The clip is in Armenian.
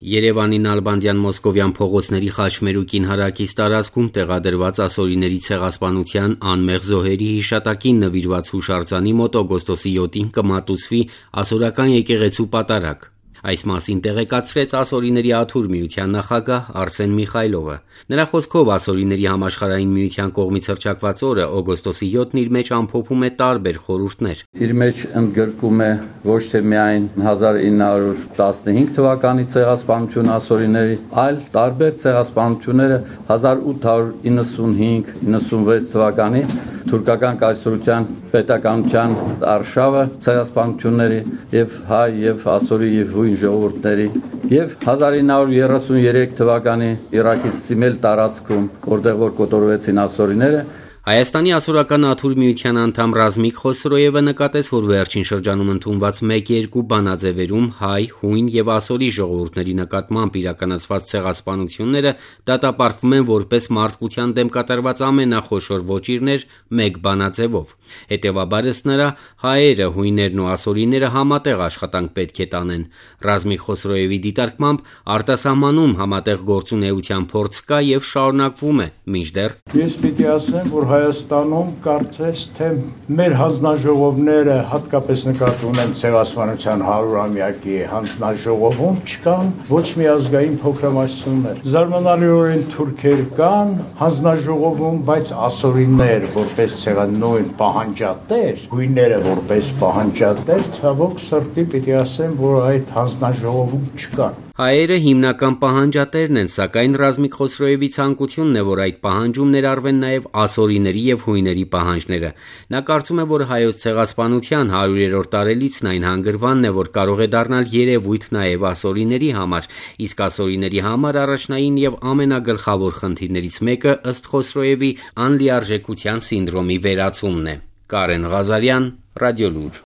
Երևանի Նալբանդյան-Մոսկովյան փողոցների խաչմերուկին հարակից տարածքում տեղադրված ասորիների ցեղասպանության անմեղ զոհերի հիշատակին նվիրված հուշարձանի մոտ օգոստոսի 7-ին կմատուցվի ասորական եկեղեցու պատարագ: Այս մասին տեղեկացրեց Ասորիների աթուր միության նախագահ Արսեն Միխայլովը: Նրա խոսքով Ասորիների համաշխարհային միության կողմից հռչակված օրը օգոստոսի 7-ն իր մեջ ամփոփում է տարբեր խորհուրդներ: Իր մեջ ընդգրկում է ոչ թե միայն 1915 թվականի ցեղասպանությունը ասորիների, այլ տարբեր ցեղասպանությունները 1895-96 թվականի թուրքական կայսրության պետականության արշավը ցեղասպանությունների եւ հայ եւ ասորի եւ հույն ժողովուրդների եւ 1933 թվականի Իրաքից Սիմել տարածքում, որտեղ որ կոտորվեցին ասորիները: Հայաստանի ասորական աթուր միության անդամ Ռազմիկ Խոսրոևը նկատեց, որ վերջին շրջանում ընդունված 1-2 բանաձևերում հայ, հույն եւ ասորի ժողովուրդների նկատմամբ իրականացված ցեղասպանությունները դատապարտվում են որպես մարդկության դեմ կատարված ամենախոշոր ոճիրներ մեկ բանաձևով: Հետևաբար, ըստ նրա, հայերը, հույներն ու ասորիները համատեղ աշխատանք պետք է տանեն: Ռազմիկ Խոսրոևի դիտարկմամբ արտասահմանում համատեղ գործունեության փորձ կա եւ շարունակվում է, մինչդեռ Ես պիտի ասեմ, որ Հայաստանում կարծես թե մեր հանձնաժողովները, հատկապես նկատի ունեմ ցեղասպանության 100-ամյակի հանձնաժողովում, չկան ոչ մի ազգային փոքրամասնություններ: Զարմանալիորեն թուրքեր կան հանձնաժողովում, բայց ասորիներ որպես նույն պահանջատեր, հույները որպես պահանջատեր, ցավոք սրտի պիտի ասեմ, որ այդ հանձնաժողովում չկան: Հայերը հիմնական պահանջատերն են, սակայն Ռազմիկ Խոսրոևի ցանկությունն է, որ այդ պահանջում ներառվեն նաեւ ասորիների եւ հույների պահանջները: Նա կարծում է, որ հայոց ցեղասպանության 100-րդ տարելիցն այն հանգրվանն է, որ կարող է դառնալ երևույթ նաեւ ասորիների համար, իսկ ասորիների համար առաջնային եւ ամենագլխավոր խնդիրներից մեկը, ըստ Խոսրոևի, անլիարժեքության սինդրոմի վերացումն է: Կարեն Ղազարյան, Ռադիոլուր: